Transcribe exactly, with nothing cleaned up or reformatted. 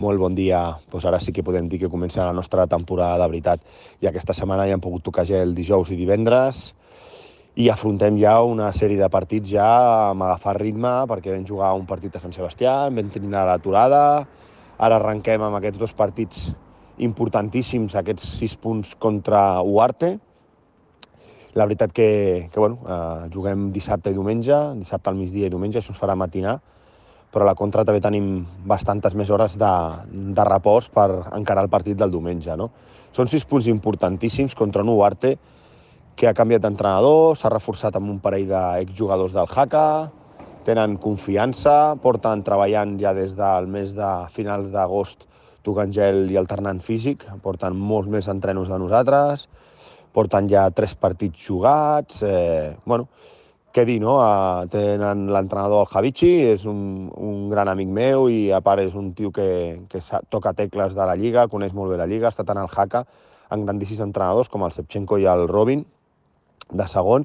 Molt bon dia. Doncs ara sí que podem dir que comença la nostra temporada de veritat. I aquesta setmana ja hem pogut tocar gel dijous i divendres i afrontem ja una sèrie de partits ja amb agafar ritme, perquè vam jugar un partit a Sant Sebastià, vam tenir l'aturada, ara arrenquem amb aquests dos partits importantíssims, aquests sis punts contra Uarte. La veritat que, que bueno, eh, juguem dissabte i diumenge, dissabte al migdia i diumenge, això ens farà matinar, però a la contra també tenim bastantes més hores de, de repòs per encarar el partit del diumenge, no? Són sis punts importantíssims contra un Uarte que ha canviat d'entrenador, s'ha reforçat amb un parell d'exjugadors del Jaca, tenen confiança, porten treballant ja des del mes de finals d'agost tocant gel i alternant físic, porten molts més entrenos de nosaltres, porten ja tres partits jugats, eh, bueno, què dir, no? Uh, tenen l'entrenador, el Javichi, és un, un gran amic meu i a part és un tio que, que toca tecles de la Lliga, coneix molt bé la Lliga, ha estat en el Jaca amb grandíssims entrenadors com el Shevchenko i el Robin, de segon,